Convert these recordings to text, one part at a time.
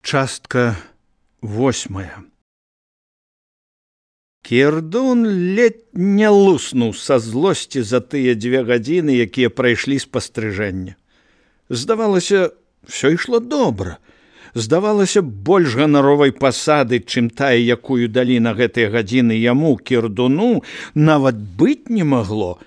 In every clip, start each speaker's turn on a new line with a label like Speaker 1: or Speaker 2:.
Speaker 1: Частка 8. Кірдун ледь не луснуў са злосці за тыя 2 гадзіны, якія прайшлі спастрыжэння. Здавалася, ўсё ішло добра. Здавалася, больш ганаровай пасады, чым тая, якую далі на гэтыя гадзіны яму, Кірдуну, нават быць не магло.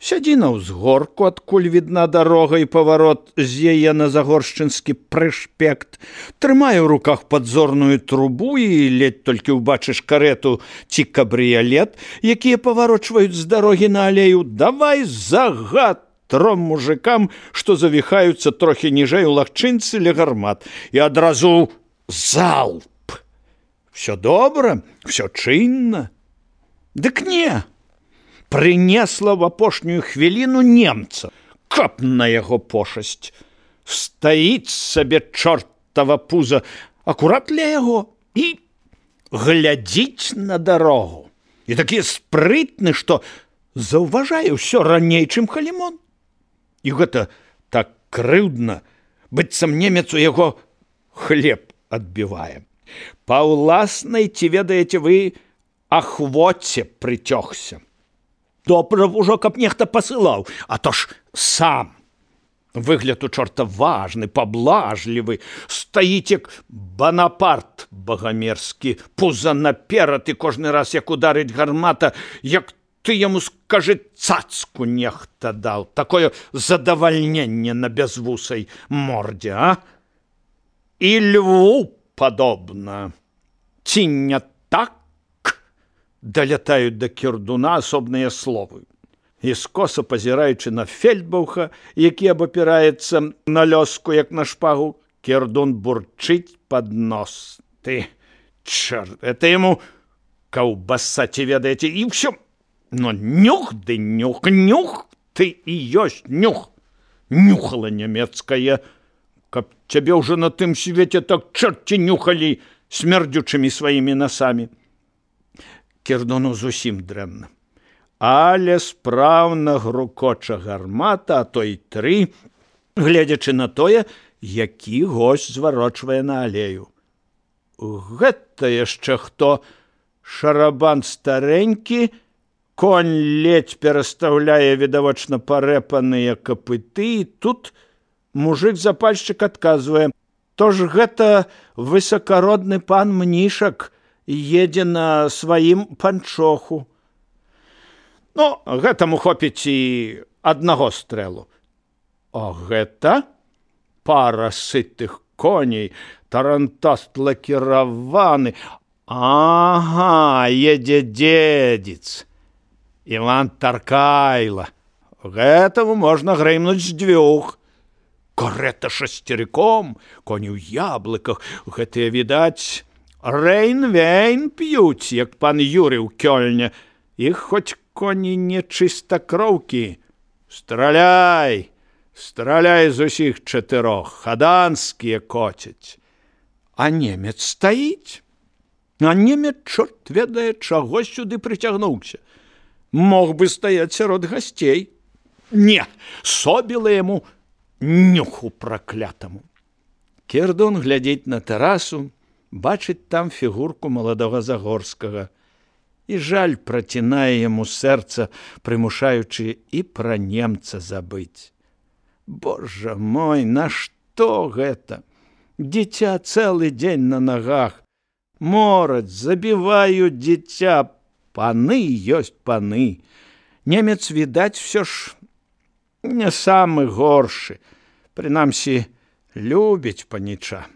Speaker 1: Сядзі на ўзгорку, адкуль відна дарога і паварот з яе на загоршчынскі прышпект, трымае ў руках падзорную трубу і ледь толькі ўбачыш карету ці кабрыялет, якія паварочваюць з дарогі на алею, давай загад 3 мужикам, што завіхаюцца трохі ніжэй у лагчынцы ля гармат, і адразу залп. Всё добра, всё чынна. Дык не! Прынесла в апошнюю хвіліну немца, каб на яго пошасць. Стаіць сабе чортава пуза акурат ля яго і глядзіць на дарогу. І такі спрытны, што заўважае ўсё раней, чым Халімон. І гэта так крыўдна, быццам немец у яго хлеб адбівае. Па ўласнай, ці ведаеце вы, ахвоце прыцёгся. Добра ўжо, каб нехта пасылаў, а то ж сам. Выгляд у чорта важны, паблажлівы, стаіць як Банапарт багамерскі, пуза наперад, і кожны раз, як ударыць гармата, як ты яму скажы, цацку нехта даў. Такое задавальненне на бязвусай мордзе, а? І льву падобна. Ці не так? Далятаюць да Кірдуна асобныя словы. І скоса пазіраючы на Фельдбауха, які абапіраецца на лёску, як на шпагу, Кірдун бурчыць пад нос. Ты, чорт, это яму каўбаса, ці ведаеце, і ўсё. Но нюх ды нюх, нюх, ты і ёсць нюх. Нюхала нямецкая, каб цябе ўжо на тым свеце так чорці нюхалі смердзючымі сваімі насамі. Кірдуну зусім дрэнна. Але спраўна грукоча гармата, а то і 3, гледзячы на тое, які госць зварочвае на алею. Гэта яшчэ хто? Шарабан старэнькі, конь ледзь перастаўляе відавочна парэпаныя капыты, і тут мужик-запальшчык адказвае: то ж гэта высакародны пан Мнішак, едзе на сваім панчоху. Ну, гэтаму хопіць і аднаго стрэлу. А гэта пара сытых коней, тарантаст лакіраваны. Ага, едзе дзедзіц. Іван Таркайла. Гэтаму можна грымнуць з 2. Карета шасцерыком, коні ў яблыках. Гэтыя, відаць, Рейн-вейн п'юць, як пан Юрый у Кёльне. Іх хоць коні не чыстакроўкі. Страляй, страляй з усіх 4, хаданскія коцяць. А немец стаіць. А немец, чорт ведае, чаго сюды прыцягнуўся. Мог бы стаяць сярод гасцей. Не, собіла яму нюху праклятаму. Кірдун глядзіць на тэрасу, бачыць там фігурку маладога Загорскага. І жаль працінае яму сэрца, прымушаючы і пра немца забыць. Божа мой, нашто гэта? Дзіця цэлы дзень на нагах. Мораць, забіваюць дзіця. Паны ёсць паны. Немец, відаць, всё ж не самы горшы. Прынамсі, любіць паніча.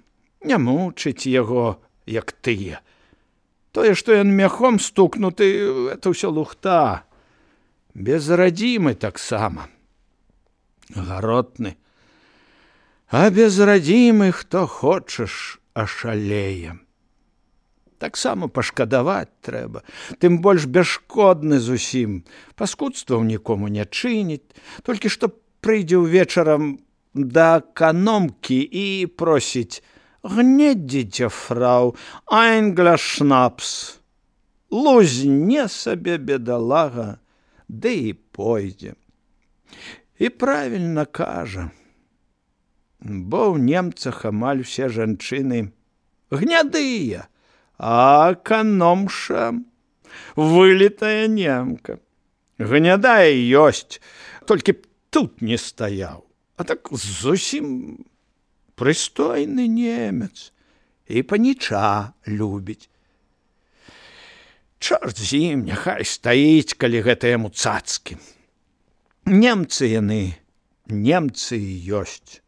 Speaker 1: Не мучыць яго, як тыя. Тое, што ён мяхом стукнуты, это ўсё лухта. Безрадзімы таксама. Гаротны. А безрадзімы, хто хочаш, ашалее. Таксама пашкадаваць трэба. Тым больш бясшкодны зусім. Паскудстваў нікому не чыніць. Толькі што прыйдзе ўвечарам да эканомкі і просіць: «Gnädige Frau, ein Glas Schnaps». Лузне сабе бедалага, ды і пойдзе. І правільна кажа. бо ў немцах амаль усе жанчыны гнядыя, а эканомша вылітая немка. Гнядая ёсць, толькі б тут не стаяў, а так зусім прыстойны немец і паніча любіць. Чорт з ім, няхай стаіць, калі гэта яму цацкі. Немцы яны, немцы ёсць.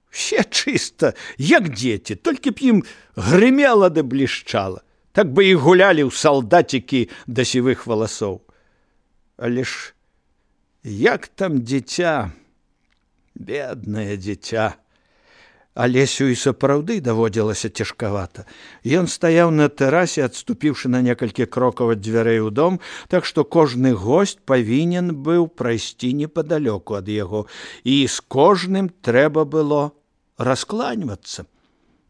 Speaker 1: Все чыста, як дзеці, толькі б ім грымела ды блішчала. Так бы і гулялі ў салдацікі да сівых валасоў. Але ж як там дзіця, беднае дзіця. Алесю і сапраўды даводзілася цяжкавата. Ён стаяў на тэрасе, адступіўшы на некалькі крокаў ад дзвярэй у дом, так што кожны госць павінен быў прайсці непадалёку ад яго, і з кожным трэба было раскланьвацца.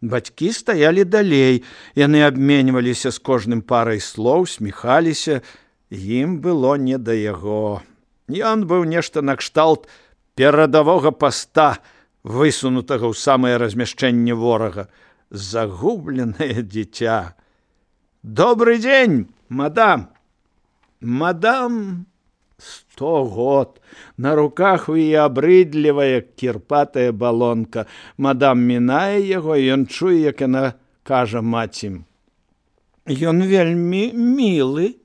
Speaker 1: Бацькі стаялі далей, яны абменьваліся з кожным парай слоў, сміхаліся, ім было не да яго. Ён быў нешта накшталт перадавога паста, высунутага ў самае размяшчэнне ворага. Загубленае дзіця. Добрый дзень, мадам. Мадам 100 год. На руках у яе абрыдлівая кірпатая балонка. Мадам мінае яго, і ён чуе, як яна кажа маці. Ён вельмі мілы.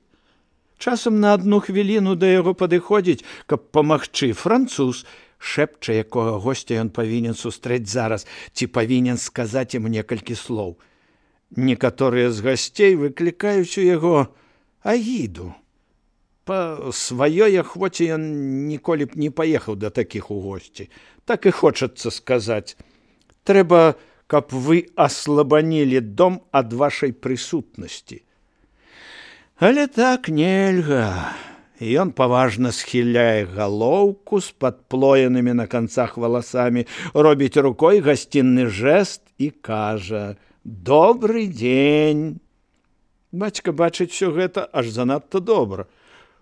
Speaker 1: Часам на 1 хвіліну да яго падыходзіць, каб памагчы. Француз, шэпча, якога госця ён павінен сустрэць зараз, ці павінен сказаць ім некалькі слоў. Некаторыя з гасцей выклікаюць у яго агіду. Па сваёй ахвоце ён ніколі б не паехаў да такіх у госці. Так і хочацца сказаць. Трэба, каб вы аслабанілі дом ад вашай прысутнасці. Але так нельга. І ён паважна схіляе галоўку з падплоенымі на канцах валасамі, робіць рукой гасцінны жэст і кажа: «Добрый дзень». Бацька бачыць усё гэта аж занадта добра.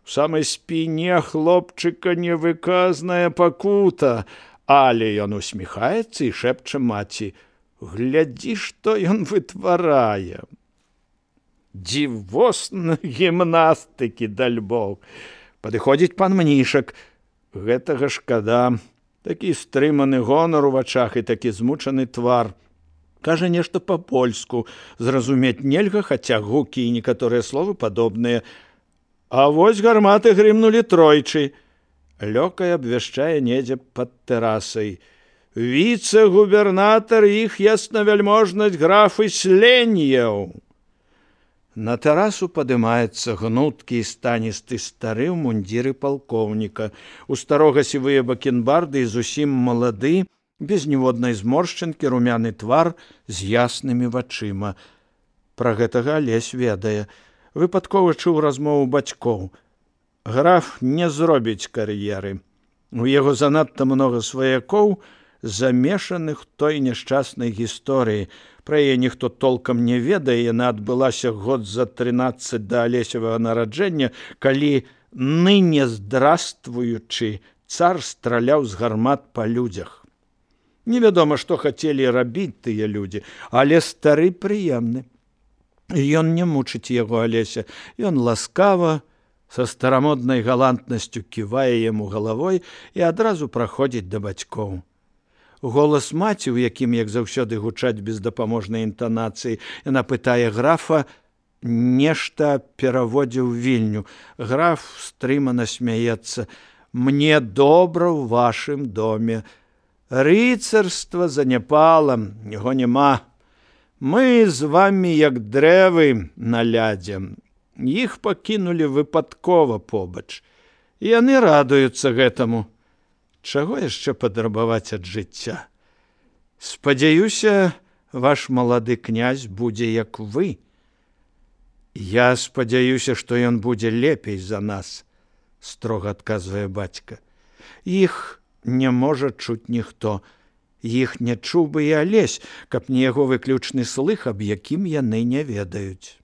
Speaker 1: У самай спіне хлопчыка невыказная пакута, але ён усміхаецца і шэпча маці: «Глядзі, што ён вытварае». Дзівосна гімнастыкі, дальбог. Падыходзіць пан Мнішак. Гэтага шкада. Такі стрыманы гонар у вачах і такі змучаны твар. Кажа нешта па-польску. Зразумець нельга, хаця гукі і некаторыя словы падобныя. А вось гарматы грымнулі тройчы. Лёкай абвяшчае недзе пад тэрасай. Віцэ-губернатар іх яснавяльможнасць граф Ісленьеў. На тэрасу падымаецца гнуткі і станісты стары ў мундзіры палкоўніка. У старога сівыя бакенбарды і зусім малады, без ніводнай зморшчынкі, румяны твар з яснымі вачыма. Пра гэтага Алесь ведае. Выпадкова чуў размову бацькоў. Граф не зробіць кар'еры. У яго занадта многа сваякоў, замешаных той няшчаснай гісторыі. Пра яе ніхто толкам не ведае, яна адбылася год за 13 да Алесевага нараджэння, калі, ныне здравствуючы, цар страляў з гармат па людзях. Невядома, што хацелі рабіць тыя людзі, але стары прыемны. Ён не мучыць яго Алеся, ён ласкава, са старамоднай галантнасцю ківае яму галавой і адразу праходзіць да бацькоў. Голас маці, у якім, як заўсёды, гучаць бездапаможнай інтанацыі, яна пытае графа, нешта пераводзіў вільню. Граф стрымана смяецца: «Мне добра ў вашым доме. Рыцарства заняпала, яго няма. Мы з вамі як дрэвы на лядзе. Іх пакінулі выпадкова побач. Яны радуюцца гэтаму. Чаго яшчэ падрабаваць ад жыцця? Спадзяюся, ваш малады князь будзе як вы. Я спадзяюся, што ён будзе лепей за нас, строга адказвае бацька. Іх не можа чуць ніхто. Іх не чуў бы і Алесь, каб не яго выключны слых, аб якім яны не ведаюць.